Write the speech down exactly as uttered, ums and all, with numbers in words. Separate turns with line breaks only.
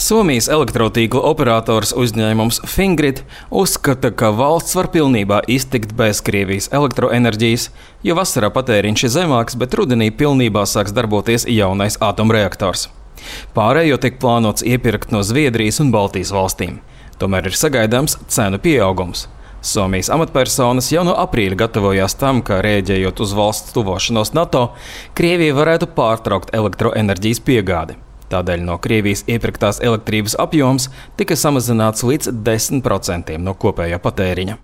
Somijas elektrotīkla operators uzņēmums Fingrid uzskata, ka valsts var pilnībā iztikt bez Krievijas elektroenerģijas, jo vasarā patēriņš ir zemāks, bet rudenī pilnībā sāks darboties jaunais atomreaktors. Pārējo tiek plānots iepirkt no Zviedrijas un Baltijas valstīm. Tomēr ir sagaidāms cenu pieaugums. Somijas amatpersonas jau no aprīļa gatavojās tam, ka rēģējot uz valsts tuvošanos NATO, Krievija varētu pārtraukt elektroenerģijas piegādi. Tādēļ no Krievijas iepirktās elektrības apjoms tika samazināts līdz desmit procentiem no kopējā patēriņa.